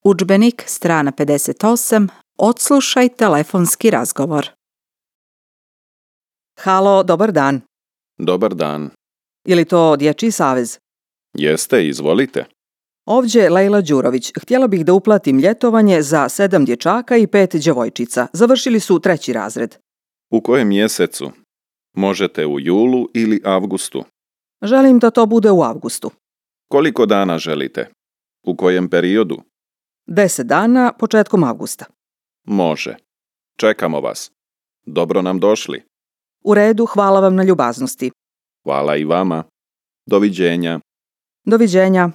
Udžbenik, strana 58, odslušaj telefonski razgovor. Halo, dobar dan. Dobar dan. Je li to Dječji savez? Jeste, izvolite. Ovdje Lejla Đurović. Htjela bih da uplatim ljetovanje za 7 dječaka i 5 djevojčica. Završili su 3. razred. U kojem mjesecu? Možete u julu ili avgustu. Želim da to bude u avgustu. Koliko dana želite? U kojem periodu? 10 dana početkom avgusta. Može. Čekamo vas. Dobro nam došli. U redu, hvala vam na ljubaznosti. Hvala i vama. Doviđenja. Doviđenja.